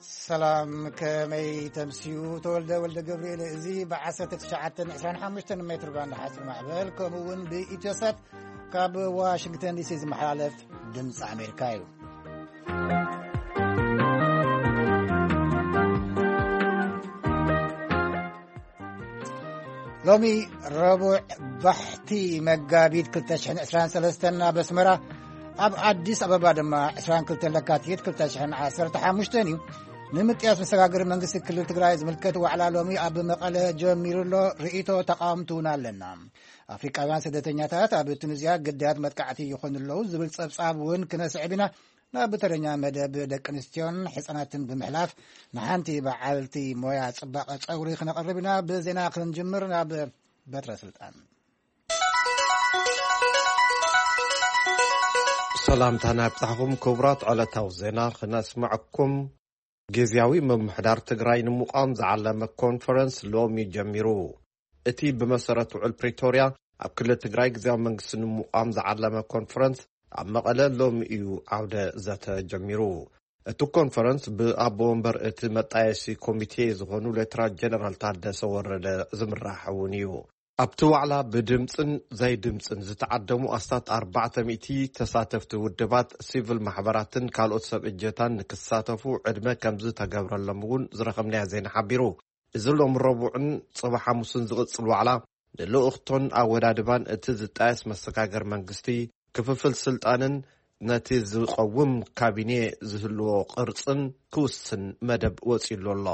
ሰላም፣ ከመይ ተምስዩ? ተወልደ ወልደ ገብርኤል። እዚ ብ1925 ሜትር ባንድ ሓፂር ማዕበል፣ ከምኡ እውን ብኢትዮሳት ካብ ዋሽንግተን ዲሲ ዝመሓላለፍ ድምፂ ኣሜሪካ እዩ። ሎሚ ረቡዕ ባሕቲ መጋቢት ክልተ ሽሕን ዕስራን ሰለስተን ኣብ ኣስመራ፣ ኣብ ኣዲስ ኣበባ ድማ ዕስራን ክልተን ለካቲት ክልተ ሽሕን ዓሰርተ ሓሙሽተን እዩ። ንምጥያስ መሰጋገሪ መንግስቲ ክልል ትግራይ ዝምልከት ዋዕላ ሎሚ ኣብ መቐለ ጀሚሩ ኣሎ። ርእይቶ ተቃወምቲ እውን ኣለና። ኣፍሪቃውያን ስደተኛታት ኣብ ቱኒዝያ ግዳያት መጥቃዕቲ ይኾኑ ኣለዉ ዝብል ጸብጻብ እውን ክነስዕብ ኢና። ናብ ተረኛ መደብ ደቂ ኣንስትዮን ሕጻናትን ብምሕላፍ፣ ንሓንቲ በዓልቲ ሞያ ጽባቐ ጸጉሪ ክነቕርብ ኢና። ብዜና ክንጅምር ናብ በትረ ስልጣን። ሰላምታና ይብጻሕኹም ክቡራት። ዕለታዊ ዜና ክነስምዐኩም። ግዝያዊ ምምሕዳር ትግራይ ንምቋም ዝዓለመ ኮንፈረንስ ሎሚ ጀሚሩ። እቲ ብመሰረት ውዕል ፕሪቶርያ ኣብ ክልል ትግራይ ግዝያዊ መንግስቲ ንምቋም ዝዓለመ ኮንፈረንስ ኣብ መቐለ ሎሚ እዩ ዓውደ ዘተ ጀሚሩ። እቲ ኮንፈረንስ ብኣቦ ወንበር እቲ መጣየሲ ኮሚቴ ዝኾኑ ሌተናል ጀነራል ታደሰ ወረደ ዝምራሕ እውን እዩ። ኣብቲ ዋዕላ ብድምፅን ዘይድምፅን ዝተዓደሙ ኣስታት ኣርባዕተ ሚእቲ ተሳተፍቲ ውድባት፣ ሲቪል ማሕበራትን ካልኦት ሰብ እጀታን ንክሳተፉ ዕድመ ከም ዝተገብረሎም እውን ዝረኸብናዮ ዜና ሓቢሩ። እዚ ሎም ረቡዕን ጽባሕ ሓሙስን ዝቕጽል ዋዕላ፣ ንልኡኽቶን ኣወዳድባን እቲ ዝጣየስ መሰጋገር መንግስቲ፣ ክፍፍል ስልጣንን ነቲ ዝቐውም ካቢኔ ዝህልዎ ቅርጽን ክውስን መደብ ወጺሉ ኣሎ።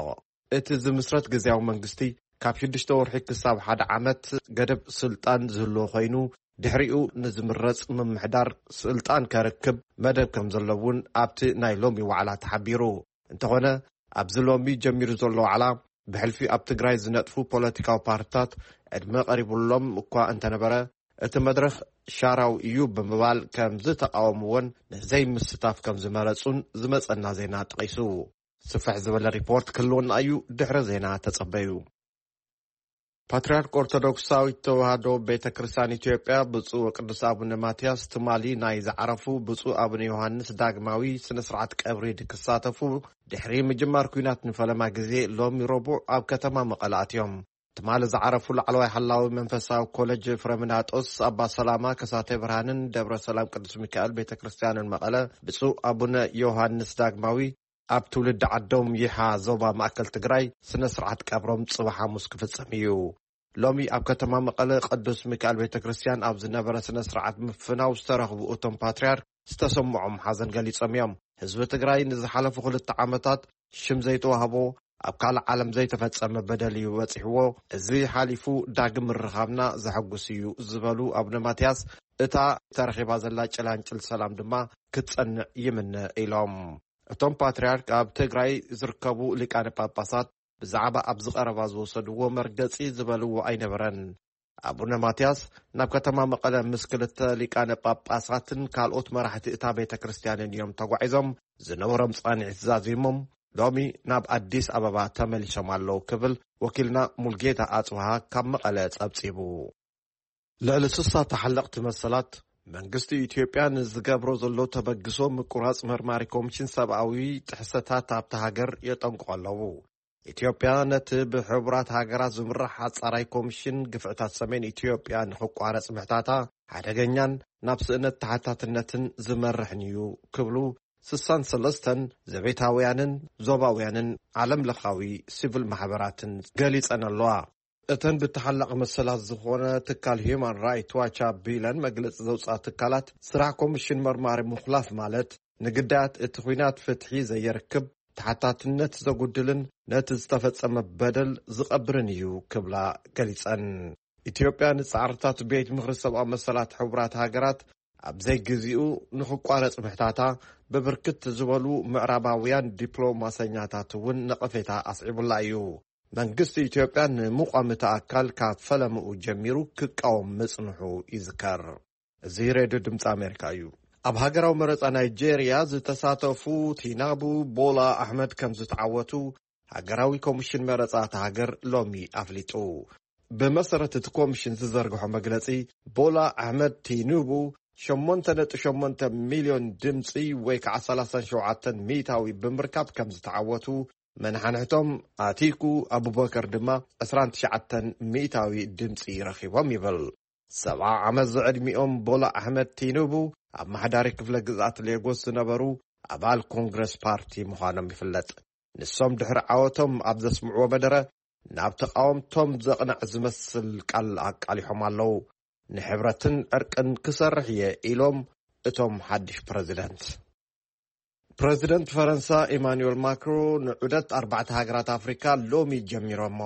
እቲ ዝምስረት ግዝያዊ መንግስቲ፣ ካብ ሽዱሽተ ወርሒ ክሳብ ሓደ ዓመት ገደብ ስልጣን ዝህልዎ ኮይኑ፣ ድሕሪኡ ንዝምረጽ ምምሕዳር ስልጣን ከርክብ መደብ ከም ዘሎ እውን ኣብቲ ናይ ሎሚ ዋዕላ ተሓቢሩ። እንተኾነ፣ ኣብዚ ሎሚ ጀሚሩ ዘሎ ዋዕላ፣ ብሕልፊ ኣብ ትግራይ ዝነጥፉ ፖለቲካዊ ፓርትታት ዕድመ ቀሪቡሎም እኳ እንተነበረ፣ እቲ መድረኽ ሻራዊ እዩ ብምባል ከም ዝተቃወምዎን ንዘይምስታፍ ከም ዝመረጹን ዝመጸና ዜና ጠቒሱ። ስፍሕ ዝበለ ሪፖርት ክህልወና እዩ፣ ድሕሪ ዜና ተጸበዩ። ፓትርያርክ ኦርቶዶክሳዊት ተዋህዶ ቤተ ክርስቲያን ኢትዮጵያ ብፁዕ ወቅዱስ ኣቡነ ማትያስ ትማሊ ናይ ዝዓረፉ ብፁዕ ኣቡነ ዮሃንስ ዳግማዊ ስነ ስርዓት ቀብሪ ክሳተፉ ድሕሪ ምጅማር ኲናት ንፈለማ ግዜ ሎሚ ረቡዕ ኣብ ከተማ መቐለ ኣትዮም። ትማሊ ዝዓረፉ ላዕለዋይ ሓላዊ መንፈሳዊ ኮሌጅ ፍረምናጦስ ኣባ ሰላማ ከሳቴ ብርሃንን ደብረ ሰላም ቅዱስ ሚካኤል ቤተ ክርስቲያንን መቐለ ብፁዕ ኣቡነ ዮሃንስ ዳግማዊ ኣብ ትውልዲ ዓዶም ይሓ ዞባ ማእከል ትግራይ ስነ ስርዓት ቀብሮም ጽባሕ ሓሙስ ክፍጸም እዩ። ሎሚ ኣብ ከተማ መቐለ ቅዱስ ሚካኤል ቤተ ክርስቲያን ኣብ ዝነበረ ስነ ስርዓት ምፍናው ዝተረኽቡ እቶም ፓትርያርክ ዝተሰምዖም ሓዘን ገሊጾም እዮም። ህዝቢ ትግራይ ንዝሓለፉ ክልተ ዓመታት ሽም ዘይተዋህቦ፣ ኣብ ካልእ ዓለም ዘይተፈጸመ በደል እዩ በጺሕዎ። እዚ ሓሊፉ ዳግም ምርኻብና ዘሐጉስ እዩ ዝበሉ ኣቡነ ማትያስ፣ እታ ተረኺባ ዘላ ጭላንጭል ሰላም ድማ ክትጸንዕ ይምነ ኢሎም። እቶም ፓትርያርክ ኣብ ትግራይ ዝርከቡ ሊቃነ ጳጳሳት ብዛዕባ ኣብዚ ቀረባ ዝወሰድዎ መርገጺ ዝበልዎ ኣይነበረን። ኣቡነ ማትያስ ናብ ከተማ መቐለ ምስ ክልተ ሊቃነ ጳጳሳትን ካልኦት መራሕቲ እታ ቤተ ክርስቲያንን እዮም ተጓዒዞም። ዝነበሮም ጻንሒት ዛዚሞም ሎሚ ናብ ኣዲስ ኣበባ ተመሊሶም ኣለዉ ክብል ወኪልና ሙልጌታ ኣጽብሃ ካብ መቐለ ጸብጺቡ። ልዕሊ ስሳ ተሓለቕቲ መሰላት መንግስቲ ኢትዮጵያ ንዝገብሮ ዘሎ ተበግሶ ምቁራጽ መርማሪ ኮሚሽን ሰብኣዊ ጥሕሰታት ኣብታ ሃገር የጠንቅቑ ኣለዉ። ኢትዮጵያ ነቲ ብሕቡራት ሃገራት ዝምራሕ ኣጻራይ ኮሚሽን ግፍዕታት ሰሜን ኢትዮጵያ ንኽቋረጽ ምሕታታ ሓደገኛን ናብ ስእነት ተሓታትነትን ዝመርሕን እዩ ክብሉ ስሳን ሰለስተን ዘቤታውያንን ዞባውያንን ዓለም ለኻዊ ሲቪል ማሕበራትን ገሊጸን ኣለዋ። እተን ብተሓላቒ መሰላት ዝኾነ ትካል ሂዩማን ራይት ዋች ኣቢለን መግለጺ ዘውፅኣ ትካላት፣ ስራሕ ኮሚሽን መርማሪ ምኹላፍ ማለት ንግዳያት እቲ ኲናት ፍትሒ ዘየርክብ፣ ተሓታትነት ዘጉድልን ነቲ ዝተፈጸመ በደል ዝቐብርን እዩ ክብላ ገሊጸን። ኢትዮጵያ ንጻዕርታት ቤት ምኽሪ ሰብኣዊ መሰላት ሕቡራት ሃገራት ኣብ ዘይግዚኡ ንኽቋረጽ ምሕታታ፣ ብብርክት ዝበሉ ምዕራባውያን ዲፕሎማሰኛታት እውን ነቐፌታ ኣስዒቡላ እዩ። መንግስቲ ኢትዮጵያ ንምቋም እቲ ኣካል ካብ ፈለምኡ ጀሚሩ ክቃወም ምጽንሑ ይዝከር። እዚ ሬድዮ ድምፂ ኣሜሪካ እዩ። ኣብ ሃገራዊ መረፃ ናይጄርያ ዝተሳተፉ ቲናቡ ቦላ ኣሕመድ ከም ዝተዓወቱ ሃገራዊ ኮሚሽን መረፃ እታ ሃገር ሎሚ ኣፍሊጡ። ብመሰረት እቲ ኮሚሽን ዝዘርግሖ መግለፂ፣ ቦላ ኣሕመድ ቲኑቡ ሸሞንተ ነጥቢ ሸሞንተ ሚልዮን ድምፂ ወይ ከዓ ሰላሳን ሸውዓተን ሚእታዊ ብምርካብ ከም ዝተዓወቱ፣ መናሓንሕቶም ኣቲኩ ኣቡበከር ድማ ዕስራን ትሽዓተን ሚእታዊ ድምፂ ረኺቦም ይብል። ሰብዓ ዓመት ዝዕድሚኦም ቦላ ኣሕመድ ቲኑቡ ኣብ ማሕዳሪ ክፍለ ግዝኣት ሌጎስ ዝነበሩ ኣባል ኮንግረስ ፓርቲ ምዃኖም ይፍለጥ። ንሶም ድሕሪ ዓወቶም ኣብ ዘስምዕዎ መደረ፣ ናብ ተቓወምቶም ዘቕንዕ ዝመስል ቃል ኣቃሊሖም ኣለዉ። "ንሕብረትን ዕርቅን ክሰርሕ እየ" ኢሎም እቶም ሓድሽ ፕረዚደንት። ፕረዚደንት ፈረንሳ ኢማኑኤል ማክሮ ንዑደት ኣርባዕተ ሃገራት ኣፍሪካ ሎሚ ጀሚሮሞ።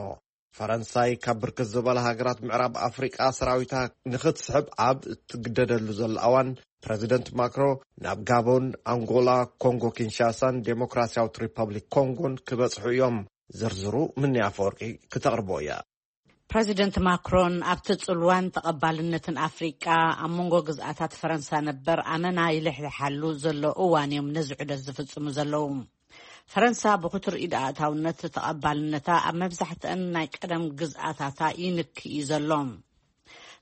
ፈረንሳይ ካብ ብርክት ዝበላ ሃገራት ምዕራብ ኣፍሪቃ ሰራዊታ ንኽትስሕብ ኣብ እትግደደሉ ዘላ እዋን፣ ፕረዚደንት ማክሮ ናብ ጋቦን፣ ኣንጎላ፣ ኮንጎ ኪንሻሳን ዴሞክራሲያዊት ሪፐብሊክ ኮንጎን ክበጽሑ እዮም። ዝርዝሩ ምኒ ኣፈወርቂ ክተቕርቦ እያ። ፕረዚደንት ማክሮን ኣብቲ ጽልዋን ተቐባልነትን ኣፍሪቃ ኣብ መንጎ ግዝኣታት ፈረንሳ ነበር ኣመና ይልሕልሓሉ ዘሎ እዋን እዮም ነዚ ዑደት ዝፍጽሙ ዘለዉ። ፈረንሳ ብኽቱር ኢድ ኣእታውነት ተቐባልነታ ኣብ መብዛሕትአን ናይ ቀደም ግዝኣታታ ይንክ እዩ ዘሎ።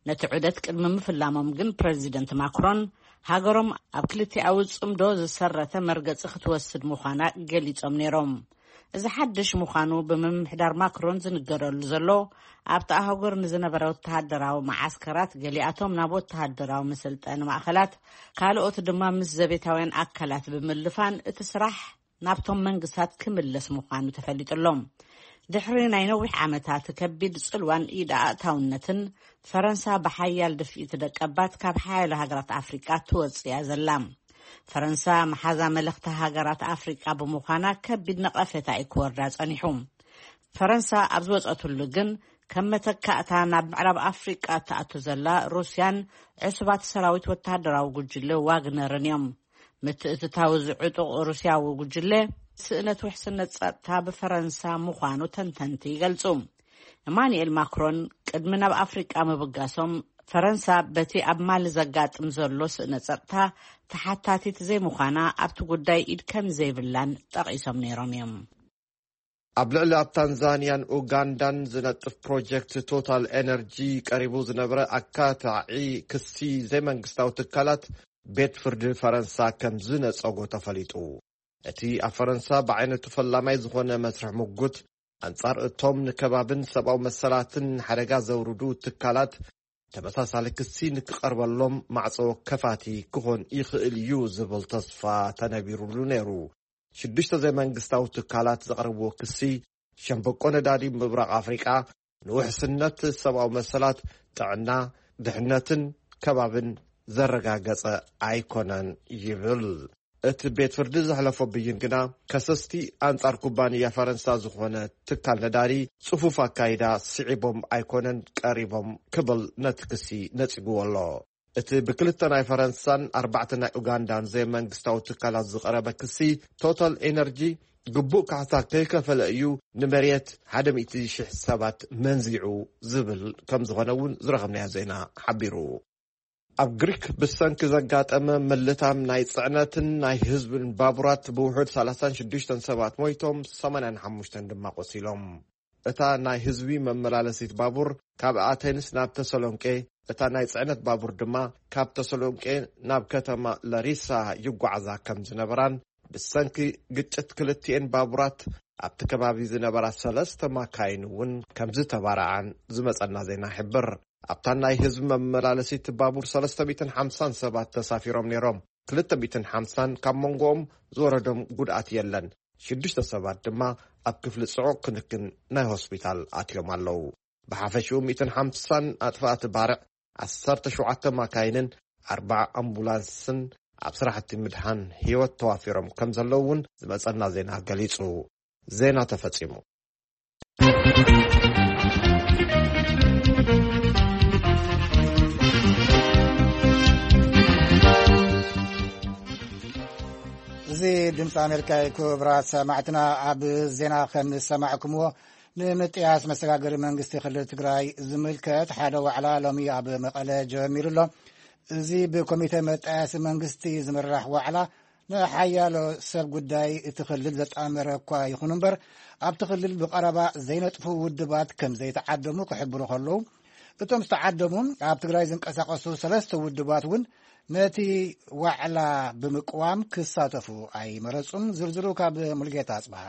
ነቲ ዑደት ቅድሚ ምፍላሞም ግን ፕረዚደንት ማክሮን ሃገሮም ኣብ ክልቲኣዊ ጽምዶ ዝሰረተ መርገጺ ክትወስድ ምዃና ገሊጾም ነይሮም። እዚ ሓድሽ ምዃኑ ብምምሕዳር ማክሮን ዝንገረሉ ዘሎ፣ ኣብቲ ኣህጉር ንዝነበረ ወተሃደራዊ መዓስከራት፣ ገሊኣቶም ናብ ወተሃደራዊ መሰልጠኒ ማእከላት፣ ካልኦት ድማ ምስ ዘቤታውያን ኣካላት ብምልፋን እቲ ስራሕ ናብቶም መንግስታት ክምለስ ምዃኑ ተፈሊጡ ኣሎ። ድሕሪ ናይ ነዊሕ ዓመታት ከቢድ ጽልዋን ኢድ ኣእታውነትን፣ ፈረንሳ ብሓያል ድፍኢት ደቀባት ካብ ሓያሎ ሃገራት ኣፍሪቃ ትወጽእ እያ ዘላ። ፈረንሳ መሓዛ መለኽቲ ሃገራት ኣፍሪቃ ብምዃና ከቢድ ነቐፌታ እዩ ክወርዳ ጸኒሑ። ፈረንሳ ኣብ ዝወጸትሉ ግን፣ ከም መተካእታ ናብ ምዕራብ ኣፍሪቃ እትኣቱ ዘላ ሩስያን ዕሱባት ሰራዊት ወተሃደራዊ ጉጅለ ዋግነርን እዮም። ምትእትታው ዝዕጡቕ ሩስያዊ ጉጅለ፣ ስእነት ውሕስነት ጸጥታ ብፈረንሳ ምዃኑ ተንተንቲ ይገልጹ። እማኑኤል ማክሮን ቅድሚ ናብ ኣፍሪቃ ምብጋሶም፣ ፈረንሳ በቲ ኣብ ማሊ ዘጋጥም ዘሎ ስእነት ጸጥታ ተሓታቲት ዘይምዃና፣ ኣብቲ ጉዳይ ኢድ ከም ዘይብላን ጠቒሶም ነይሮም እዮም። ኣብ ልዕሊ ኣብ ታንዛንያን ኡጋንዳን ዝነጥፍ ፕሮጀክት ቶታል ኤነርጂ ቀሪቡ ዝነበረ ኣካታዒ ክሲ ዘይመንግስታዊ ትካላት ቤት ፍርዲ ፈረንሳ ከም ዝነጸጎ ተፈሊጡ። እቲ ኣብ ፈረንሳ ብዓይነቱ ፈላማይ ዝኾነ መስርሕ ምጉት፣ ኣንጻር እቶም ንከባብን ሰብኣዊ መሰላትን ሓደጋ ዘውርዱ ትካላት፣ ተመሳሳሊ ክሲ ንክቐርበሎም ማዕጾ ከፋቲ ክኾን ይኽእል እዩ ዝብል ተስፋ ተነቢሩሉ ነይሩ። ሽዱሽተ ዘይመንግስታዊ ትካላት ዘቕረብዎ ክሲ፣ ሸምበቆ ነዳዲ ምብራቕ ኣፍሪቃ ንውሕስነት ሰብኣዊ መሰላት፣ ጥዕና፣ ድሕነትን ከባብን ዘረጋገጸ ኣይኮነን ይብል። እቲ ቤት ፍርዲ ዘሕለፎ ብይን ግና፣ ከሰስቲ ኣንጻር ኩባንያ ፈረንሳ ዝኾነ ትካል ነዳዲ ጽፉፍ ኣካይዳ ስዒቦም ኣይኮነን ቀሪቦም ክብል ነቲ ክሲ ነጺግዎ ኣሎ። እቲ ብክልተ ናይ ፈረንሳን ኣርባዕተ ናይ ኡጋንዳን ዘይመንግስታዊ ትካላት ዝቐረበ ክሲ፣ ቶታል ኤነርጂ ግቡእ ካሕሳ ከይከፈለ እዩ ንመሬት ሓደ ሚእቲ ሺሕ ሰባት መንዚዑ ዝብል ከም ዝኾነ እውን ዝረኸብናዮ ዜና ሓቢሩ። ኣብ ግሪክ ብሰንኪ ዘጋጠመ ምልታም ናይ ጽዕነትን ናይ ህዝብን ባቡራት ብውሑድ ሰላሳን ሽዱሽተን ሰባት ሞይቶም፣ ሰማንያን ሓሙሽተን ድማ ቆሲሎም። እታ ናይ ህዝቢ መመላለሲት ባቡር ካብ ኣቴንስ ናብ ተሰሎንቄ፣ እታ ናይ ጽዕነት ባቡር ድማ ካብ ተሰሎንቄ ናብ ከተማ ለሪሳ ይጓዓዛ ከም ዝነበራን፣ ብሰንኪ ግጭት ክልቲኤን ባቡራት ኣብቲ ከባቢ ዝነበራ ሰለስተ ማካይን እውን ከም ዝተባረዓን ዝመጸና ዜና ይሕብር። ኣብታ ናይ ህዝቢ መመላለሲት ባቡር ሰለስተ ሚእትን ሓምሳን ሰባት ተሳፊሮም ነይሮም። ክልተ ሚእትን ሓምሳን ካብ መንጎኦም ዝወረዶም ጉድኣት የለን። ሽዱሽተ ሰባት ድማ ኣብ ክፍሊ ጽዑቕ ክንክን ናይ ሆስፒታል ኣትዮም ኣለዉ። ብሓፈሽኡ ሚእትን ሓምሳን ኣጥፋእቲ ባርዕ፣ ዓሰርተ ሸውዓተ ማካይንን ኣርባዓ ኣምቡላንስን ኣብ ስራሕቲ ምድሓን ህይወት ተዋፊሮም ከም ዘለዉ እውን ዝመጸና ዜና ገሊጹ። ዜና ተፈጺሙ። እዚ ድምፂ ኣሜሪካ እዩ። ክቡራት ሰማዕትና፣ ኣብ ዜና ከም ዝሰማዕኩምዎ፣ ንምጥያስ መሰጋገሪ መንግስቲ ክልል ትግራይ ዝምልከት ሓደ ዋዕላ ሎሚ ኣብ መቐለ ጀሚሩ ኣሎ። እዚ ብኮሚተ መጣያሲ መንግስቲ ዝምራሕ ዋዕላ፣ ንሓያሎ ሰብ ጉዳይ እቲ ክልል ዘጣመረ እኳ ይኹን እምበር፣ ኣብቲ ክልል ብቐረባ ዘይነጥፉ ውድባት ከም ዘይተዓደሙ ክሕብሩ ከለዉ፣ እቶም ዝተዓደሙ ኣብ ትግራይ ዝንቀሳቐሱ ሰለስተ ውድባት እውን ነቲ ዋዕላ ብምቅዋም ክሳተፉ ኣይመረጹን። ዝርዝሩ ካብ ሙልጌታ ኣጽብሃ።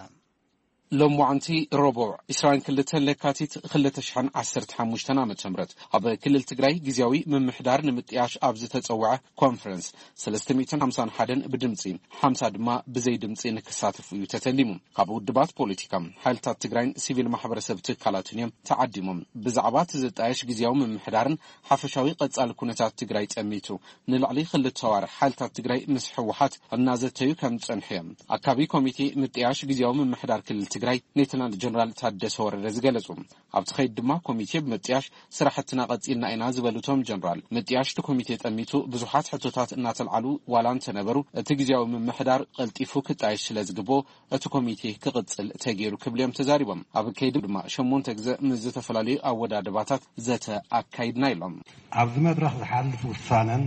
ሎማዓንቲ ረቡዕ ዕስራን ክልተን ለካቲት ክልተ ሽሕን ዓሰርተ ሓሙሽተን ዓመተ ምህረት ኣብ ክልል ትግራይ ግዝያዊ ምምሕዳር ንምጥያሽ ኣብ ዝተጸውዐ ኮንፈረንስ ሰለስተ ሚእትን ሓምሳን ሓደን ብድምጺ፣ ሓምሳ ድማ ብዘይ ድምጺ ንክሳተፉ እዩ ተተሊሙ። ካብ ውድባት ፖለቲካ፣ ሓይልታት ትግራይን ሲቪል ማሕበረሰብ ትካላትን እዮም ተዓዲሞም። ብዛዕባ እቲ ዝጣየሽ ግዝያዊ ምምሕዳርን ሓፈሻዊ ቀጻሊ ኩነታት ትግራይ ጸሚቱ ንልዕሊ ክልተ ኣዋርሕ ሓይልታት ትግራይ ምስ ህወሓት እናዘተዩ ከም ዝጸንሑ እዮም ኣካቢ ኮሚቴ ምጥያሽ ግዝያዊ ምምሕዳር ክልል ትግራይ ሌተናል ጀነራል ታደሰ ወረደ ዝገለጹ። ኣብቲ ኸይድ ድማ ኮሚቴ ብምጥያሽ ስራሕትና ቀጺልና ኢና ዝበሉ እቶም ጀነራል፣ ምጥያሽ እቲ ኮሚቴ ጠሚቱ ብዙሓት ሕቶታት እናተልዓሉ ዋላ እንተነበሩ፣ እቲ ግዝያዊ ምምሕዳር ቀልጢፉ ክጣየሽ ስለ ዝግብኦ እቲ ኮሚቴ ክቕጽል ተገይሩ ክብሉ እዮም ተዛሪቦም። ኣብ ከይዲ ድማ ሸሞንተ ግዘ ምስ ዝተፈላለዩ ኣወዳድባታት ዘተ ኣካይድና ኢሎም። ኣብዚ መድረኽ ዝሓልፍ ውሳነን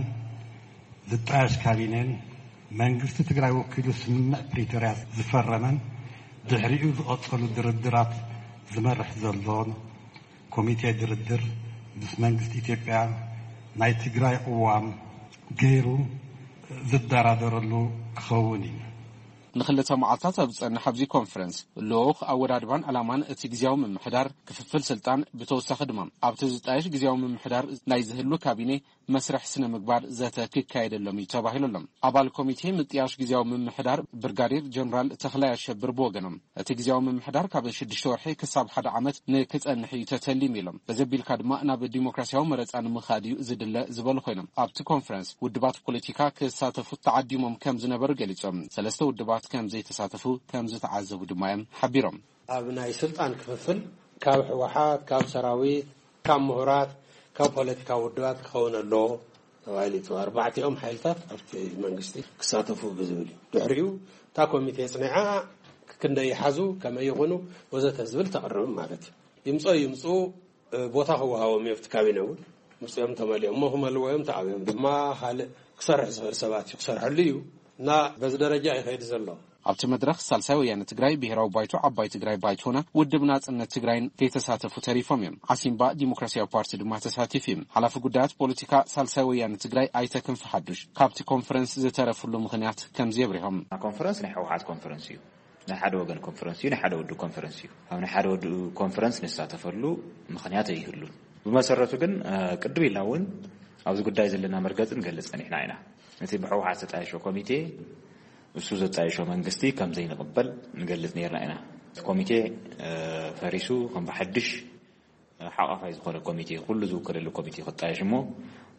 ዝጣየሽ ካቢኔን መንግስቲ ትግራይ ወኪሉ ስምምዕ ፕሪቶርያ ዝፈረመን ድሕሪኡ ዝቐጸሉ ድርድራት ዝመርሕ ዘሎን ኮሚቴ ድርድር ምስ መንግስቲ ኢትዮጵያ ናይ ትግራይ ቅዋም ገይሩ ዝደራደረሉ ክኸውን እዩ። ንክልተ መዓልታት ኣብ ዝጸንሕ ኣብዚ ኮንፈረንስ፣ ልኡኽ ኣወዳድባን ዕላማን እቲ ግዝያዊ ምምሕዳር፣ ክፍፍል ስልጣን፣ ብተወሳኺ ድማ ኣብቲ ዝጣየሽ ግዝያዊ ምምሕዳር ናይ ዝህሉ ካቢኔ መስርሕ ስነ ምግባር ዘተ ክካየደሎም እዩ ተባሂሉ ኣሎ። ኣባል ኮሚቴ ምጥያሽ ግዝያዊ ምምሕዳር ብርጋዴር ጀነራል ተኽላይ ኣሸብር ብወገኖም፣ እቲ ግዝያዊ ምምሕዳር ካብ ሽዱሽተ ወርሒ ክሳብ ሓደ ዓመት ንክጸንሕ እዩ ተተሊሙ ኢሎም። እዚ ኣቢልካ ድማ ናብ ዲሞክራሲያዊ መረጻ ንምኻድ እዩ ዝድለ ዝበሉ ኮይኖም፣ ኣብቲ ኮንፈረንስ ውድባት ፖለቲካ ክሳተፉ ተዓዲሞም ከም ዝነበሩ ገሊጾም፣ ሰለስተ ውድባት ከም ዘይተሳተፉ ከም ዝተዓዘቡ ድማ እዮም ሓቢሮም። ኣብ ናይ ስልጣን ክፍፍል ካብ ህወሓት፣ ካብ ሰራዊት፣ ካብ ምሁራት፣ ካብ ፖለቲካዊ ውድባት ክኸውን ኣለዎ ተባሂሉ እዩ። ኣርባዕቲኦም ሓይልታት ኣብቲ መንግስቲ ክሳተፉ ብዝብል እዩ። ድሕሪኡ እታ ኮሚቴ ጽኒዓ ክንደይ ይሓዙ፣ ከመይ ይኹኑ ወዘተ ዝብል ተቕርብ ማለት እዩ። ይምጾ ይምጹ፣ እ፣ ቦታ ክወሃቦም እዩ ኣብቲ ካቢነ እውን። ምጽኦም ተመሊኦም እሞ ክመልዎ እዮም፣ ተኣብዮም ድማ ካልእ ክሰርሕ ዝኽእል ሰባት እዩ ክሰርሐሉ እዩ እና በዚ ደረጃ ይኸይድ ዘሎ። ኣብቲ መድረኽ ሳልሳይ ወያነ ትግራይ፣ ብሄራዊ ባይቶ ዓባይ ትግራይ ባይቶና፣ ውድብ ናጽነት ትግራይን ከይተሳተፉ ተሪፎም እዮም። ዓሲምባ ዲሞክራሲያዊ ፓርቲ ድማ ተሳቲፉ እዩ። ሓላፊ ጉዳያት ፖለቲካ ሳልሳይ ወያነ ትግራይ ኣይተ ክንፈ ሓዱሽ፣ ካብቲ ኮንፈረንስ ዝተረፍሉ ምኽንያት ከምዚ የብሪሆም። ኮንፈረንስ ናይ ህወሓት ኮንፈረንስ እዩ። ናይ ሓደ ወገን ኮንፈረንስ እዩ፣ ናይ ሓደ ውድብ ኮንፈረንስ እዩ። ኣብ ናይ ሓደ ውድብ ኮንፈረንስ ንሳተፈሉ ምኽንያት ኣይህሉን። ብመሰረቱ ግን፣ እ፣ ቅድም ኢልና እውን ኣብዚ ጉዳይ ዘለና መርገጽ ንገልጽ ጸኒሕና ኢና። እቲ ብህወሓት ዝተጣየሸ ኮሚቴ፣ እሱ ዘጣየሾ መንግስቲ ከም ዘይንቕበል ንገልጽ ነይርና ኢና። እቲ ኮሚቴ፣ እ፣ ፈሪሱ ከም ብሓድሽ፣ እ፣ ሓቋፋይ ዝኾነ ኮሚቴ፣ ኩሉ ዝውከለሉ ኮሚቴ ክጣየሽ እሞ፣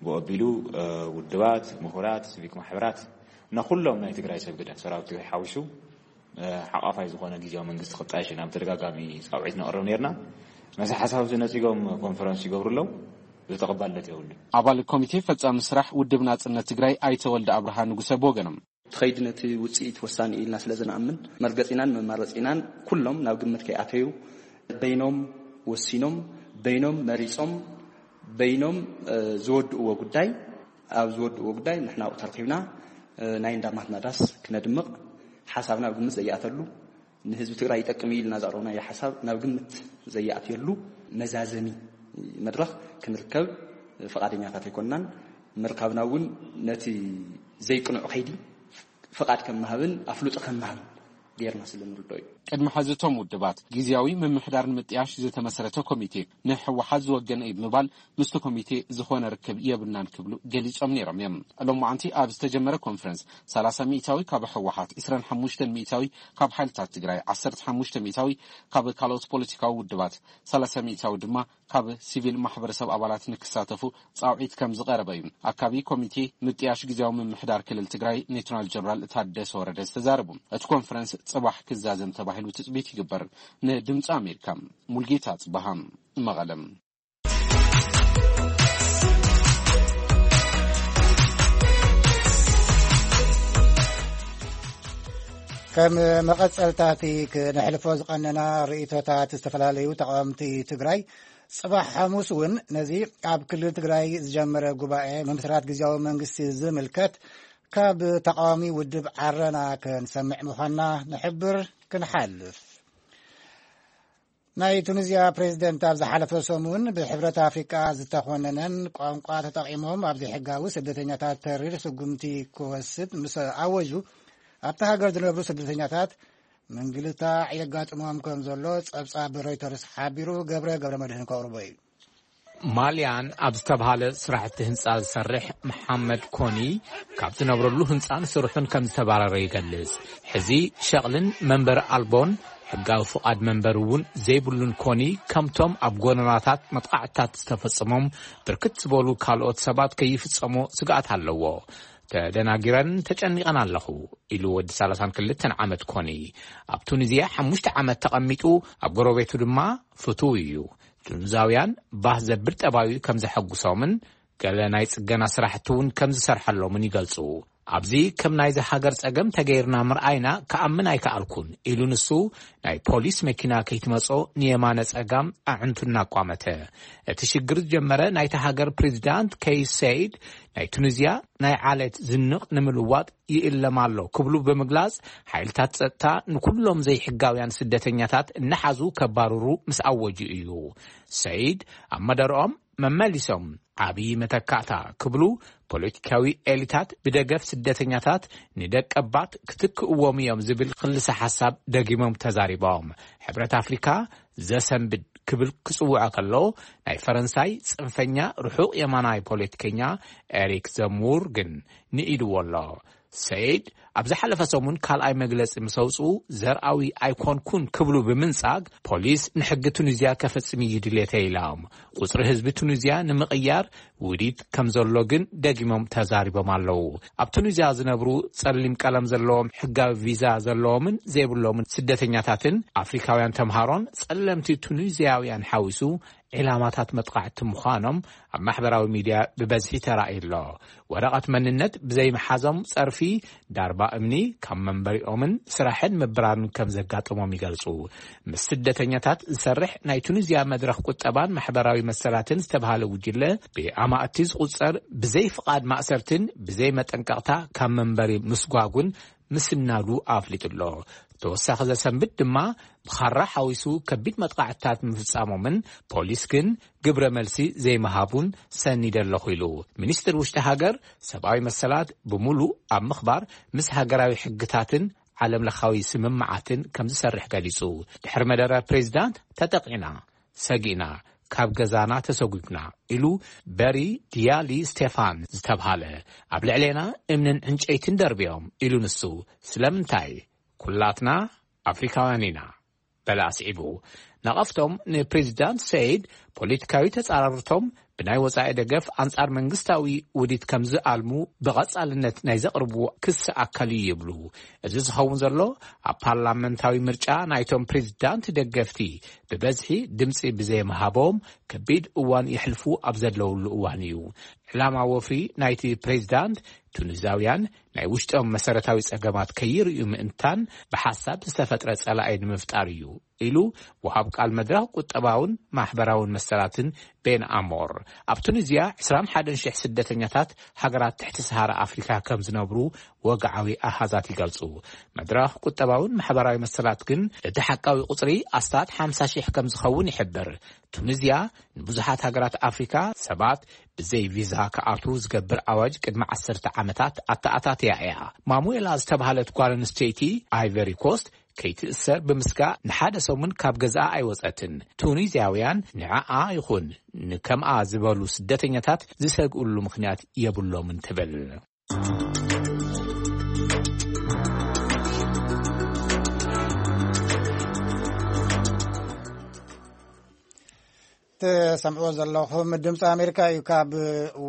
ብኡ ኣቢሉ፣ እ፣ ውድባት፣ ምሁራት፣ ሲቪክ ማሕበራት እና ኩሎም ናይ ትግራይ ሰብ ግደ፣ ሰራዊት ትግራይ ሓዊሱ፣ እ፣ ሓቋፋይ ዝኾነ ግዝያዊ መንግስቲ ክጣየሽ ኢና ብተደጋጋሚ ጻውዒት ነቕርብ ነይርና። ነዚ ሓሳብ እዚ ነጺጎም ኮንፈረንስ ይገብሩ ኣለዉ። እዚ ተቐባልነት የብሉን። ኣባል ኮሚቴ ፈጻሚ ስራሕ ውድብ ናጽነት ትግራይ ኣይተ ወልደ ኣብርሃ ንጉሰ ብወገኖም፣ እቲ ኸይዲ ነቲ ውጽኢት ወሳኒ ኢልና ስለ ዝንኣምን፣ መርገጺናን መማረጺናን ኩሎም ናብ ግምት ከይኣተዩ፣ በይኖም ወሲኖም፣ በይኖም መሪጾም፣ በይኖም፣ እ፣ ዝወድእዎ ጉዳይ፣ ኣብ ዝወድእዎ ጉዳይ ንሕና ኣብኡ ተረኺብና፣ እ፣ ናይ እንዳማትና ዳስ ክነድምቕ፣ ሓሳብና ኣብ ግምት ዘይኣተሉ፣ ንህዝቢ ትግራይ ይጠቅም እዩ ኢልና ዘቕረብናዮ ሓሳብ ናብ ግምት ዘይኣትየሉ መዛዘሚ መድረኽ ክንርከብ ፍቓደኛታት ኣይኮንናን። ምርካብና እውን ነቲ ዘይቅኑዕ ከይዲ ፍቓድ ከም ምሃብን ኣፍልጦ ከም ምሃብን ጌርና ስለ ንርድኦ እዩ። ቅድሚ ሕዚ እቶም ውድባት ግዝያዊ ምምሕዳር ንምጥያሽ ዝተመሰረተ ኮሚቴ ንህወሓት ዝወገነ እዩ ብምባል ምስቲ ኮሚቴ ዝኾነ ርክብ የብልናን ክብሉ ገሊጾም ነይሮም እዮም። ሎማዓንቲ ኣብ ዝተጀመረ ኮንፈረንስ ሰላሳ ሚእታዊ ካብ ህወሓት፣ ዕስራን ሓሙሽተን ሚእታዊ ካብ ሓይልታት ትግራይ፣ ዓሰርተ ሓሙሽተ ሚእታዊ ካብ ካልኦት ፖለቲካዊ ውድባት፣ ሰላሳ ሚእታዊ ድማ ካብ ሲቪል ማሕበረሰብ ኣባላት ንክሳተፉ ጻውዒት ከም ዝቐረበ እዩ ኣካቢ ኮሚቴ ምጥያሽ ግዝያዊ ምምሕዳር ክልል ትግራይ ሌተናል ጀነራል ታደሰ ወረደ ዝተዛረቡ። እቲ ኮንፈረንስ ጽባሕ ክዛዘም ተባሂሉ ትጽቢት ይግበር። ንድምፂ ኣሜሪካ፣ ሙልጌታ ጽባሃ፣ መቐለም። ከም መቐጸልታቲ ክነሕልፎ ዝቐነና ርእይቶታት ዝተፈላለዩ ተቓወምቲ ትግራይ ጽባሕ ሓሙስ እውን ነዚ ኣብ ክልል ትግራይ ዝጀመረ ጉባኤ ምምስራት ግዝያዊ መንግስቲ ዝምልከት ካብ ተቓዋሚ ውድብ ዓረና ክንሰምዕ ምዃንና ንሕብር። ክንሓልፍ ናይ ቱኒዝያ ፕሬዝደንት ኣብ ዝሓለፈ ሰሙን ብሕብረት ኣፍሪቃ ዝተኾነነን ቋንቋ ተጠቒሞም ኣብ ዘይሕጋዊ ስደተኛታት ተሪር ስጉምቲ ክወስድ ምስ ኣወጁ፣ ኣብታ ሃገር ዝነብሩ ስደተኛታት ምንግልታዕ የጋጥሞም ከም ዘሎ ጸብጻብ ሮይተርስ ሓቢሩ። ገብረ ገብረ መድህን ከቕርቦ እዩ። ማልያን ኣብ ዝተባህለ ስራሕቲ ህንፃ ዝሰርሕ መሓመድ ኮኒ፣ ካብ ዝነብረሉ ህንፃን ስርሑን ከም ዝተባረረ ይገልጽ። ሕዚ ሸቕልን መንበሪ ኣልቦን ሕጋዊ ፍቓድ መንበሪ እውን ዘይብሉን ኮኒ፣ ከምቶም ኣብ ጎደናታት መጥቃዕትታት ዝተፈጸሞም ብርክት ዝበሉ ካልኦት ሰባት ከይፍጸሞ ስግኣት ኣለዎ። ተደናጊረን ተጨኒቐን ኣለኹ ኢሉ ወዲ ሰላሳን ክልተን ዓመት ኮኒ። ኣብ ቱኒዝያ ሓሙሽተ ዓመት ተቐሚጡ፣ ኣብ ጎረቤቱ ድማ ፍቱው እዩ። ቱኒዛውያን ባህ ዘብል ጠባዩ ከም ዘሐጉሶምን ገለ ናይ ጽገና ስራሕቲ እውን ከም ዝሰርሐሎምን ይገልጹ። ኣብዚ ከም ናይዚ ሃገር ጸገም ተገይርና ምርኣይና ክኣምን ኣይከኣልኩን ኢሉ ንሱ፣ ናይ ፖሊስ መኪና ከይትመጾ ንየማነ ጸጋም ኣዕንቱ እናቋመተ። እቲ ሽግር ዝጀመረ ናይቲ ሃገር ፕሬዚዳንት ከይስ ሰይድ፣ ናይ ቱኒዝያ ናይ ዓሌት ዝንቕ ንምልዋጥ ይእለም ኣሎ ክብሉ ብምግላጽ፣ ሓይልታት ጸጥታ ንኩሎም ዘይሕጋውያን ስደተኛታት እናሓዙ ከባርሩ ምስ ኣወጁ እዩ። ሰይድ ኣብ መደርኦም መመሊሶም፣ ዓብዪ መተካእታ ክብሉ፣ ፖለቲካዊ ኤሊታት ብደገፍ ስደተኛታት ንደቀባት ክትክእዎም እዮም ዝብል ክልሰ ሓሳብ ደጊሞም ተዛሪቦም። ሕብረት ኣፍሪካ ዘሰንብድ ክብል ክጽውዖ ከሎ፣ ናይ ፈረንሳይ ጽንፈኛ ርሑቕ የማናይ ፖለቲከኛ ኤሪክ ዘሙር ግን ንኢድዎ ኣሎ። ሰይድ ኣብ ዝሓለፈ ሰሙን ካልኣይ መግለጺ ምስ ኣውጽኡ፣ ዘርኣዊ ኣይኮንኩን ክብሉ ብምንጻግ፣ ፖሊስ ንሕጊ ቱኒዝያ ከፈጽም እዩ ድሌተይ ኢሎም። ቁጽሪ ህዝቢ ቱኒዝያ ንምቕያር ውዲት ከም ዘሎ ግን ደጊሞም ተዛሪቦም ኣለዉ። ኣብ ቱኒዝያ ዝነብሩ ጸሊም ቀለም ዘለዎም፣ ሕጋዊ ቪዛ ዘለዎምን ዘይብሎምን ስደተኛታትን ኣፍሪካውያን ተምሃሮን ጸለምቲ ቱኒዝያውያን ሓዊሱ ዕላማታት መጥቃዕቲ ምዃኖም ኣብ ማሕበራዊ ሚድያ ብበዝሒ ተራእዩ ኣሎ። ወረቐት መንነት ብዘይምሓዞም ጸርፊ፣ ዳርባ እምኒ፣ ካብ መንበሪኦምን ስራሕን ምብራርን ከም ዘጋጠሞም ይገልጹ። ምስ ስደተኛታት ዝሰርሕ ናይ ቱኒዝያ መድረኽ ቁጠባን ማሕበራዊ መሰላትን ዝተባህለ ጉጅለ፣ ብኣማእቲ ዝቑጸር ብዘይ ፍቓድ ማእሰርትን ብዘይ መጠንቀቕታ ካብ መንበሪ ምስጓጉን ምስናዱ ኣፍሊጡ ኣሎ። ተወሳኺ ዘሰንብድ ድማ፣ ብኻራ ሓዊሱ ከቢድ መጥቃዕትታት ምፍጻሞምን ፖሊስ ግን ግብረ መልሲ ዘይምሃቡን ሰኒደ ኣለኹ ኢሉ። ሚኒስትር ውሽጢ ሃገር ሰብኣዊ መሰላት ብምሉእ ኣብ ምኽባር ምስ ሃገራዊ ሕግታትን ዓለም ለኻዊ ስምምዓትን ከም ዝሰርሕ ገሊጹ። ድሕሪ መደረ ፕሬዚዳንት ተጠቂዕና፣ ሰጊእና፣ ካብ ገዛና ተሰጒግና ኢሉ በሪ ዲያሊ ስቴፋን ዝተብሃለ፣ ኣብ ልዕሌና እምንን ዕንጨይትን ደርብዮም ኢሉ ንሱ። ስለምንታይ? ኩላትና ኣፍሪካውያን ኢና በለ ኣስዒቡ። ነቐፍቶም ንፕሬዚዳንት ሰይድ ፖለቲካዊ ተጻራርቶም ብናይ ወጻኢ ደገፍ ኣንጻር መንግስታዊ ውዲት ከም ዝኣልሙ ብቐጻልነት ናይ ዘቕርብዎ ክሲ ኣካል እዩ ይብሉ። እዚ ዝኸውን ዘሎ ኣብ ፓርላመንታዊ ምርጫ ናይቶም ፕሬዚዳንት ደገፍቲ ብበዝሒ ድምጺ ብዘይምሃቦም ከቢድ እዋን የሕልፉ ኣብ ዘለውሉ እዋን እዩ። ዕላማ ወፍሪ ናይቲ ፕሬዚዳንት ቱኒዛውያን ናይ ውሽጦም መሰረታዊ ጸገማት ከይርእዩ ምእንታን ብሓሳብ ዝተፈጥረ ጸላኢ ንምፍጣር እዩ ኢሉ ወሃብ ቃል መድረኽ ቁጠባውን ማሕበራውን መሰላትን ቤን ኣሞር። ኣብ ቱኒዝያ ዕስራን ሓደን ሽሕ ስደተኛታት ሃገራት ትሕቲ ሰሃራ ኣፍሪካ ከም ዝነብሩ ወግዓዊ ኣሃዛት ይገልጹ። መድረኽ ቁጠባውን ማሕበራዊ መሰላት ግን እቲ ሓቃዊ ቁጽሪ ኣስታት ሓምሳ ሽሕ ከም ዝኸውን ይሕብር። ቱኒዝያ ንብዙሓት ሃገራት ኣፍሪካ ሰባት ብዘይ ቪዛ ክኣትዉ ዝገብር ኣዋጅ ቅድሚ ዓሰርተ ዓመታት ኣተኣታትያ እያ። ማሙኤላ ዝተባህለት ጓል ኣንስተይቲ ኣይቨሪ ኮስት ከይትእሰር ብምስጋእ ንሓደ ሰሙን ካብ ገዝኣ ኣይወጸትን። ቱኒዝያውያን ንዓኣ ይኹን ንከምኣ ዝበሉ ስደተኛታት ዝሰግእሉ ምኽንያት የብሎምን ትብል። ትሰምዕዎ ዘለኹም ድምፂ ኣሜሪካ እዩ። ካብ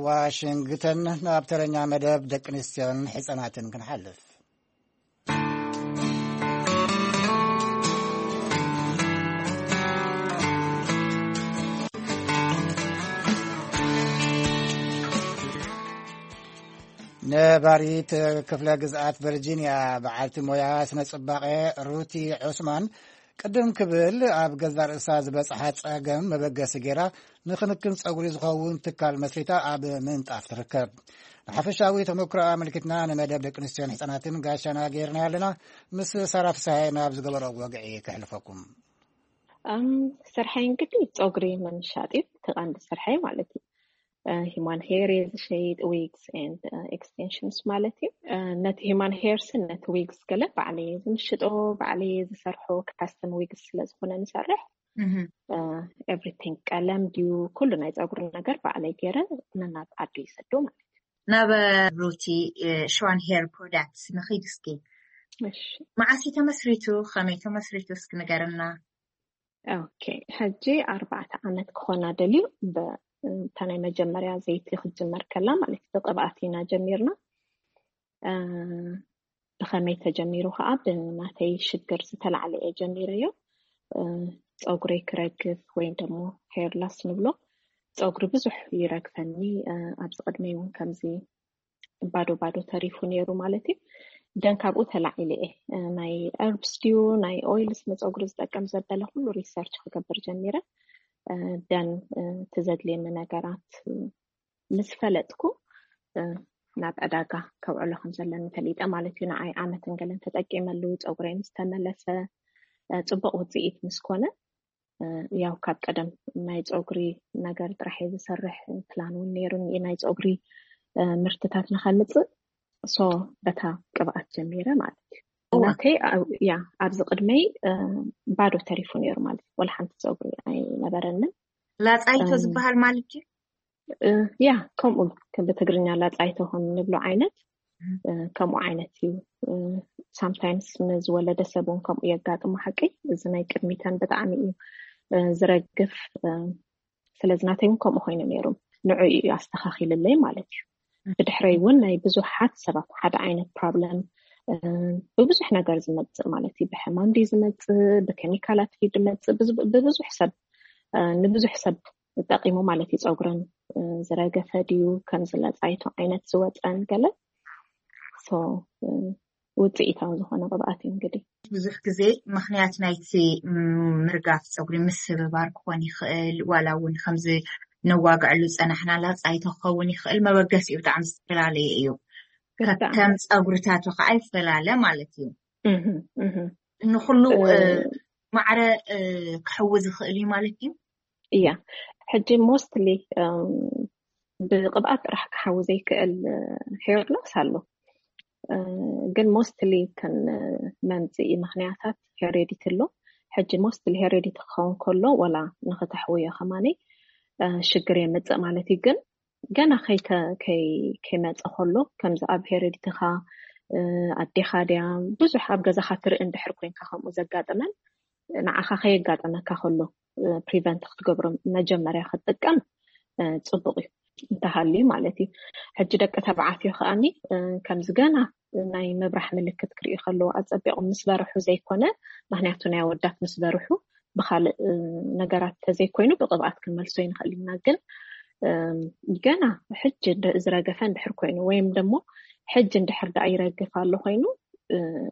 ዋሽንግተን ናብ ተረኛ መደብ ደቂ ኣንስትዮን ሕፃናትን ክንሓልፍ። ነባሪት ክፍለ ግዝኣት ቨርጂንያ በዓልቲ ሞያ ስነ ጽባቐ ሩቲ ዑስማን ቅድም ክብል ኣብ ገዛ ርእሳ ዝበጽሓ ጸገም መበገሲ ገይራ ንክንክን ጸጉሪ ዝኸውን ትካል መስሪታ ኣብ ምንጣፍ ትርከብ። ንሓፈሻዊ ተመክሮ ኣመልኪትና ንመደብ ደቂ ኣንስትዮን ህጻናትን ጋሻና ገይርና ኣለና። ምስ ሳራ ፍስሃየ ናብ ዝገበሮ ወግዒ ከሕልፈኩም። ስርሐይ እንግዲህ ፀጉሪ ምምሻጥ እዩ፣ እቲ ቀንዲ ስርሐይ ማለት እዩ። Human hair እየ ዝሸይጥ፣ wigs and extensions ማለት እዩ። ነቲ human hair ስን ነቲ wigs ገለ ባዕለየ ዝምሽጦ፣ ባዕለየ ዝሰርሖ፣ custom wigs ስለዝኾነ ንሰርሕ። Everything፣ ቀለም ድዩ፣ ኩሉ ናይ ፀጉሪ ነገር ባዕለይ ገይረ ነናብ ዓዱ ይሰዶ ማለት እዩ። ናብ ሩቲ ሽዋን ሄር ፕሮዳክትስ ንኺድ እስኪ። መዓስ ተመስሪቱ፣ ከመይ ተመስሪቱ እስኪ ንገርና። ኦኬ፣ ሕጂ ኣርባዕተ ዓመት ክኾና ደልዩ። እታ ናይ መጀመርያ ዘይቲ ክትጅመር ከላ ማለት እዩ፣ ብቅብኣት ኢና ጀሚርና። ብኸመይ ተጀሚሩ ከዓ ብናተይ ሽግር ዝተላዕለ እየ ጀሚረዮ። ፀጉረይ ክረግፍ ወይም ደግሞ ሄርላስ ንብሎ፣ ፀጉሪ ብዙሕ ይረግፈኒ። ኣብዚ ቅድመይ እውን ከምዚ ባዶ ባዶ ተሪፉ ነይሩ ማለት እዩ። ደን ካብኡ ተላዒለ እየ ናይ ርብስ ድዩ ናይ ኦይልስ ንፀጉሪ ዝጠቀም ዘበለ ኩሉ ሪሰርች ክገብር ጀሚረ። ደን እቲ ዘድልየኒ ነገራት ምስ ፈለጥኩ ናብ ዕዳጋ ከውዕሎ ከም ዘለኒ ፈሊጠ ማለት እዩ። ንዓይ ዓመትን ገለን ተጠቂመሉ፣ ፀጉረይ ምስ ተመለሰ፣ ፅቡቅ ውፅኢት ምስ ኮነ፣ ያው ካብ ቀደም ናይ ፀጉሪ ነገር ጥራሕ እየ ዝሰርሕ፣ ፕላን እውን ነይሩኒ ናይ ፀጉሪ ምርትታት ንኸምፅእ። ሶ በታ ቅብኣት ጀሚረ ማለት እዩ። ናተይ ያ ኣብዚ ቅድመይ ባዶ ተሪፉ ነይሩ ማለት እዩ። ወላ ሓንቲ ፀጉሪ ኣይነበረንን። ላፃይቶ ዝበሃል ማለት እዩ። ያ ከምኡ ብትግርኛ ላፃይቶ ከም ንብሎ ዓይነት ከምኡ ዓይነት እዩ። ሳምታይምስ ንዝወለደ ሰብ እውን ከምኡ የጋጥሞ ሓቂ። እዚ ናይ ቅድሚተን ብጣዕሚ እዩ ዝረግፍ። ስለዚ ናተይ እውን ከምኡ ኮይኑ ነይሩ። ንዑ እዩ ኣስተኻኺልለይ ማለት እዩ። ብድሕረይ እውን ናይ ብዙሓት ሰባት ሓደ ዓይነት ፕሮብለም ብብዙሕ ነገር ዝመፅእ ማለት እዩ። ብሕማም ድዩ ዝመፅእ፣ ብኬሚካላት ድዩ ዝመፅእ፣ ብብዙሕ ሰብ ንብዙሕ ሰብ ጠቂሙ ማለት እዩ። ፀጉረን ዝረገፈ ድዩ፣ ከምዚ ለፃይቶ ዓይነት ዝወፀን ገለ ውፅኢታዊ ዝኾነ ቅብኣት እዩ። እንግዲህ ብዙሕ ግዜ ምኽንያት ናይቲ ምርጋፍ ፀጉሪ ምስብባር ክኾን ይኽእል፣ ዋላ እውን ከምዚ ነዋግዐሉ ፀናሕና ላፃይቶ ክኸውን ይኽእል። መበገሲኡ ብጣዕሚ ዝተፈላለየ እዩ። ከም ፀጉርታቱ ከዓ ይፈላለ ማለት እዩ። ንኩሉ ማዕረ ክሕውዝ ይኽእል እዩ ማለት እዩ። እያ ሕጂ ሞስትሊ ብቅብኣት ጥራሕ ክሓዊ ዘይክእል ሄር ሎስ ኣሎ። ግን ሞስትሊ ተን መምፅኢ ምኽንያታት ሄሬዲቲ ኣሎ። ሕጂ ሞስትሊ ሄሬዲቲ ክኸውን ከሎ ወላ ንክተሕውዮ ከማኒ ሽግር የምፅእ ማለት እዩ። ግን ገና ከይመፀ ከሎ ከምዚ ኣብ ሄሬዲቲኻ ኣዴኻ ድያ ብዙሕ ኣብ ገዛኻ ትርኢ እንድሕር ኮይንካ ከምኡ ዘጋጥመን ንዓኻ ከየጋጥመካ ከሎ ፕሪቨንት ክትገብሮ መጀመርያ ክትጥቀም ፅቡቅ እዩ እንተሃልዩ ማለት እዩ። ሕጂ ደቂ ተባዕትዮ ከኣኒ ከምዚ ገና ናይ ምብራሕ ምልክት ክርእዩ ከለዉ ኣፀቢቆም ምስ በርሑ ዘይኮነ፣ ምክንያቱ ናይ ኣወዳት ምስ በርሑ ብካልእ ነገራት ተዘይኮይኑ ብቅብኣት ክንመልሶ ይንክእል ኢና። ግን ገና ሕጂ ዝረገፈ እንድሕር ኮይኑ ወይም ደሞ ሕጂ እንድሕር ደኣ ይረግፍ ኣሎ ኮይኑ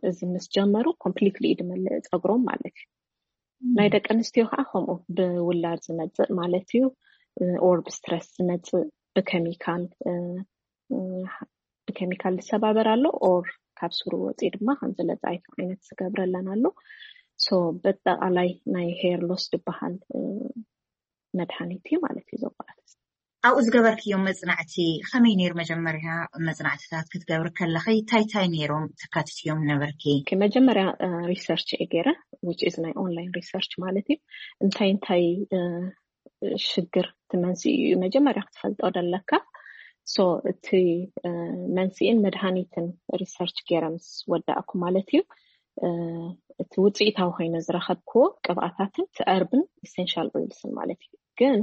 እዚ ምስ ጀመሩ ኮምፕሊትሊ እዩ ድመልእ ፀጉሮም ማለት እዩ። ናይ ደቂ ኣንስትዮ ከዓ ከምኡ ብውላድ ዝመፅእ ማለት እዩ። ኦር ብስትረስ ዝመፅእ ብኬሚካል ብኬሚካል ዝሰባበር ኣሎ ኦር ካብ ስሩ ወፂኡ ድማ ከምዚ ለፃይቶ ዓይነት ዝገብረለን ኣሎ። ሶ በጠቃላይ ናይ ሄር ሎስ ዝበሃል መድሃኒት እዩ ማለት እዩ። ዘቋት ኣብኡ ዝገበርክዮም መፅናዕቲ ከመይ ነይሩ? መጀመርያ መፅናዕትታት ክትገብር ከለኺ እንታይ እንታይ ነይሮም ተካትትዮም ነበርኪ? መጀመርያ ሪሰርች እየ ገይረ፣ which is ናይ ኦንላይን ሪሰርች ማለት እዩ። እንታይ እንታይ ሽግር እቲ መንስኢ እዩ መጀመርያ ክትፈልጦ ደለካ። ሶ እቲ መንስኢን መድሃኒትን ሪሰርች ገይረ ምስ ወዳእኩ ማለት እዩ፣ እቲ ውፅኢታዊ ኮይነ ዝረኸብክዎ ቅብኣታትን እቲ ርብን ኢሴንሻል ኦይልስን ማለት እዩ። ግን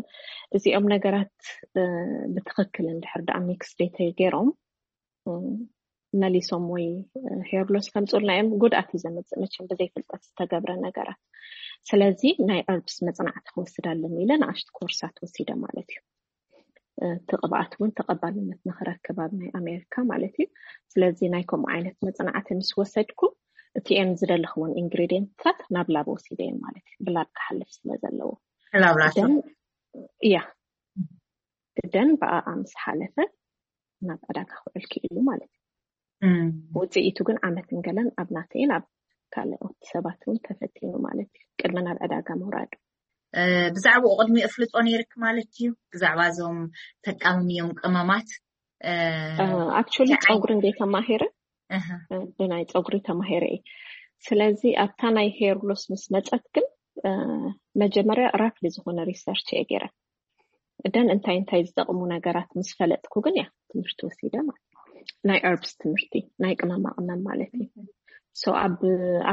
እዚኦም ነገራት ብትክክል እንድሕር ደኣ ሚክስ ዘይተገይሮም መሊሶም ወይ ሄር ሎስ ከምፅኡልና እዮም። ጉድኣት እዩ ዘምፅእ መቸም ብዘይፍልጠት ዝተገብረ ነገራት። ስለዚ ናይ ርብስ መፅናዕቲ ክወስድ ኣለኒ ኢለ ንኣሽቱ ኮርሳት ወሲደ ማለት እዩ። እቲ ቅብኣት እውን ተቐባልነት ንክረክብ ኣብ ናይ ኣሜሪካ ማለት እዩ። ስለዚ ናይ ከምኡ ዓይነት መፅናዕቲ ምስ ወሰድኩ እቲኤን ዝደለኽዎን ኢንግሪዲየንትታት ናብ ላብ ወሲደ እየን ማለት እዩ። ብላብ ክሓልፍ ስለ ዘለዎ ላብራቶ እያ ደን ብኣኣ ምስ ሓለፈ ናብ ዕዳጋ ክውዕል ክኢሉ ማለት እዩ። ውፅኢቱ ግን ዓመትን ገለን ኣብ ናተይን ኣብ ካልኦት ሰባት እውን ተፈቲኑ ማለት እዩ፣ ቅድሚ ናብ ዕዳጋ ምውራዱ። ብዛዕባኡ ቅድሚ እፍልጦ ነይርክ ማለት እዩ? ብዛዕባ እዞም ተቃምምዮም ቅመማት ኣክቹሊ ጸጉሪ እንደ ተማሄረ ብናይ ጸጉሪ ተማሄረ እየ። ስለዚ ኣብታ ናይ ሄር ሎስ ምስ መጸት ግን መጀመርያ ራፍሊ ዝኾነ ሪሰርች እየ ገይረ። ደን እንታይ እንታይ ዝጠቕሙ ነገራት ምስ ፈለጥኩ ግን እያ ትምህርቲ ወሲደ ማለት እዩ። ናይ ርብስ ትምህርቲ፣ ናይ ቅመማ ቅመም ማለት እዩ። ሶ ኣብ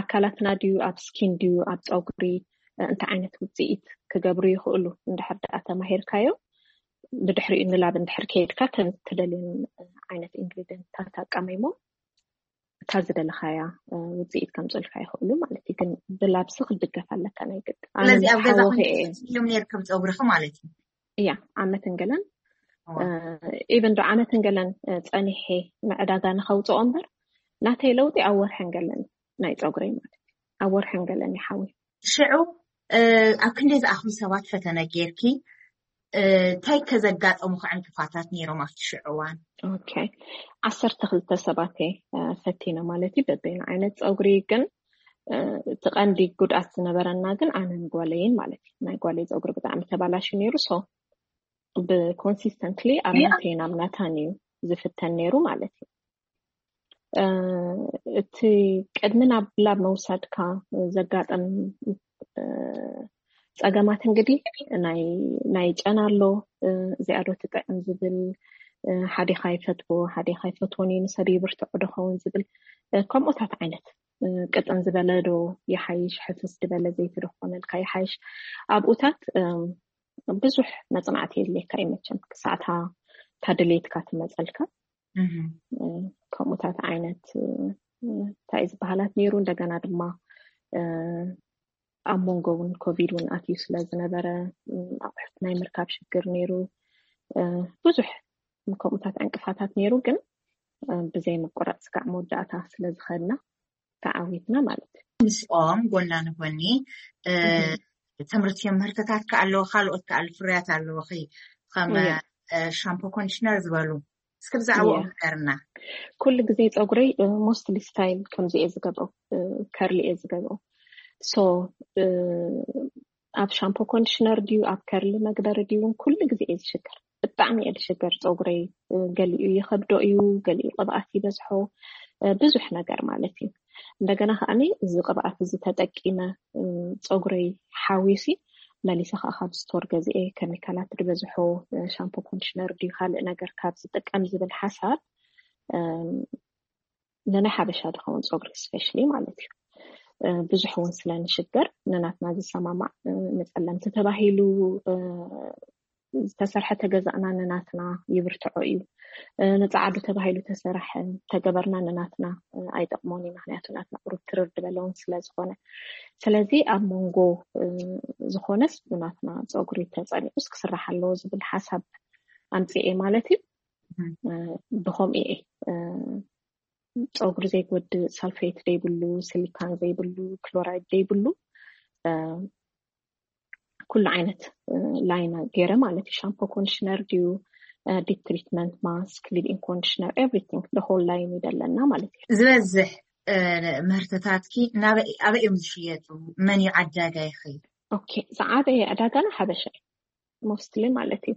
ኣካላትና ድዩ፣ ኣብ ስኪን ድዩ፣ ኣብ ጸጉሪ እንታይ ዓይነት ውፅኢት ክገብሩ ይኽእሉ እንድሕር ደኣ ተማሂርካዮ፣ ብድሕሪኡ ንላብ እንድሕር ከይድካ ከም ትደልዮን ዓይነት ኢንግሪደንትታት ኣቃሚሞ እታ ዝደለኻያ ውፅኢት ከምፅልካ ይኽእሉ ማለት እዩ። ግን ብላብሲ ክትድገፍ ኣለካ ናይ ግድ። ስለዚ ኣብ ገዛ እዮም ነርክብ ፀጉርኺ ማለት እዩ። እያ፣ ዓመትን ገለን ኢቨን ዶ ዓመትን ገለን ፀኒሐ ንዕዳጋ ንኸውፅኦ እምበር ናተይ ለውጢ ኣብ ወርሕን ገለን ናይ ፀጉረይ ማለት እዩ። ኣብ ወርሕን ገለን ይሓዊ። ሽዑ ኣብ ክንደይ ዝኣኽሉ ሰባት ፈተነ ጌርኪ? እንታይ ከዘጋጠሙኺ ዕንቅፋታት ነይሮም ኣብቲ ሽዑ እዋን? ኦኬ፣ ዓሰርተ ክልተ ሰባት እየ ፈቲነ ማለት እዩ። በበይኑ ዓይነት ፀጉሪ ግን እቲ ቀንዲ ጉድኣት ዝነበረና ግን ኣነን ጓለይን ማለት እዩ። ናይ ጓለይ ፀጉሪ ብጣዕሚ ተባላሹ ነይሩ። ሶ ብኮንሲስተንትሊ ኣብ ናተይን ኣብ ናታን እዩ ዝፍተን ነይሩ ማለት እዩ። እቲ ቅድሚ ናብ ላብ መውሳድካ ዘጋጠም ፀገማት እንግዲህ ናይ ጨና ኣሎ፣ እዚኣ ዶ ትጥዕም ዝብል፣ ሓደ ኢኻ ይፈትዎ ሓደ ኢኻ ይፈትዎን እዩ፣ ንሰብ ይብርትዖ ዶ ኸውን ዝብል ከምኡታት ዓይነት ቅጥን ዝበለ ዶ ይሓይሽ፣ ሕፍስ ዝበለ ዘይቲ ዶ ክኾነልካ ይሓይሽ፣ ኣብኡታት ብዙሕ መፅናዕቲ የድልየካ እዩ መቸም ክሳዕታ ታድሌትካ ትመፀልካ። ከምኡታት ዓይነት እንታይ ዝበሃላት ነይሩ። እንደገና ድማ ኣብ መንጎ እውን ኮቪድ እውን ኣትዩ ስለ ዝነበረ ኣቑሑት ናይ ምርካብ ሽግር ነይሩ። ብዙሕ ከምኡታት ዕንቅፋታት ነይሩ፣ ግን ብዘይ ምቁራፅ ስጋዕ መወዳእታ ስለ ዝኸድና ተዓዊትና ማለት እዩ። ምስኦም ጎና ንጎኒ ትምህርቲ ምህርትታት ከኣለዎ ካልኦት ከኣሉ ፍርያት ኣለዎ ከም ሻምፖ ኮንዲሽነር ዝበሉ እስኪ ብዛዕባኦም ንገርና። ኩሉ ግዜ ፀጉረይ ሞስትሊ ስታይል ከምዚ እየ ዝገብሮ፣ ከርሊ እየ ዝገብሮ። ሶ ኣብ ሻምፖ ኮንዲሽነር ድዩ ኣብ ከርሊ መግበሪ ድዩ ኩሉ ግዜ እየ ዝሽገር። ብጣዕሚ እየ ዝሽገር። ፀጉረይ ገሊኡ ይኸብዶ እዩ፣ ገሊኡ ቅብኣት ይበዝሖ፣ ብዙሕ ነገር ማለት እዩ። እንደገና ከዓኒ እዚ ቅብኣት እዚ ተጠቂመ ፀጉረይ ሓዊሲ መሊሰ ከዓ ካብ ስቶር ገዚኤ ኬሚካላት ዝበዝሖ ሻምፖ ኮንዲሽነር ድዩ ካልእ ነገር ካብ ዝጥቀም ዝብል ሓሳብ ንናይ ሓበሻ ዝኸውን ፀጉሪ ስፔሻሊ ማለት እዩ። ብዙሕ እውን ስለ ንሽገር ንናትና ዝሰማማዕ ንፀለምቲ ተባሂሉ ዝተሰርሐ ተገዛእና ንናትና ይብርትዖ እዩ። ንፃዓዱ ተባሂሉ ተሰራሕ ተገበርና ንናትና ኣይጠቕሞን እዩ። ምክንያቱ ናትና ቁሩብ ትርር ዝበለውን ስለ ዝኾነ። ስለዚ ኣብ መንጎ ዝኾነስ ብናትና ፀጉሪ ተፀኒዑስ ክስራሕ ኣለዎ ዝብል ሓሳብ ኣምፅኤ ማለት እዩ። ብኸምኡ እየ ፀጉሪ ዘይጎድእ ሳልፌት ዘይብሉ፣ ሲሊካን ዘይብሉ፣ ክሎራይድ ዘይብሉ ኩሉ ዓይነት ላይን ገይረ ማለት እዩ። ሻምፖ ኮንዲሽነር ድዩ ዲፕ ትሪትመንት ማስክ ሊቪንግ ኮንዲሽነር ኤቭሪቲንግ ደ ሆል ላይን እዩ ዘለና ማለት እዩ። ዝበዝሕ ምህርትታትኪ ኣበይ እዮም ዝሽየጡ? መን እዩ ዓዳጋይኺ? ኦኬ፣ ዝዓበየ ዕዳጋና ሓበሻ እዩ። ሞስትሊ ማለት እዩ።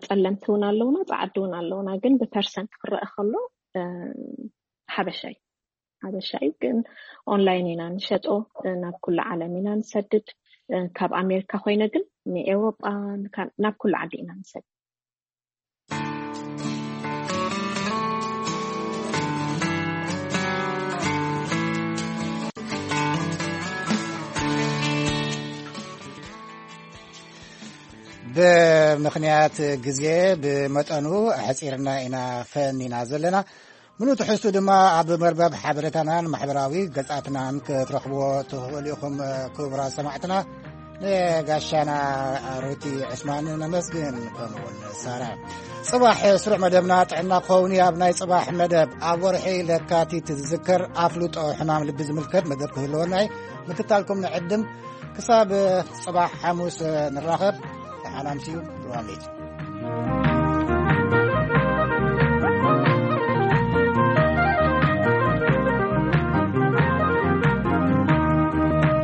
ጸለምቲ እውን ኣለውና፣ ጸዓዲ እውን ኣለውና፣ ግን ብፐርሰንት ክረአ ከሎ ሓበሻ እዩ። ሓበሻ እዩ፣ ግን ኦንላይን ኢና ንሸጦ፣ ናብ ኩሉ ዓለም ኢና ንሰድድ። ካብ ኣሜሪካ ኮይነ ግን ንኤውሮጳ ናብ ኩሉ ዓዲ ኢና ንሰድድ። ብምኽንያት ግዜ ብመጠኑ ኣሕጺርና ኢና ፈኒና ዘለና። ምሉእ ትሕዝቱ ድማ ኣብ መርበብ ሓበሬታናን ማሕበራዊ ገጻትናን ክትረኽብዎ ትኽእሉ ኢኹም። ክቡራት ሰማዕትና፣ ንጋሻና ሩቲ ዕስማን ነመስግን፣ ከምኡውን ሳራ። ጽባሕ ስሩዕ መደብና ጥዕና ክኸውን እዩ። ኣብ ናይ ጽባሕ መደብ ኣብ ወርሒ ለካቲት ዝዝከር ኣፍልጦ ሕማም ልቢ ዝምልከት መደብ ክህልወና እዩ። ምክታልኩም ንዕድም። ክሳብ ጽባሕ ሓሙስ ንራኸብ። ደሓን ኣምስዩ። ብሩህ ኣምሲት።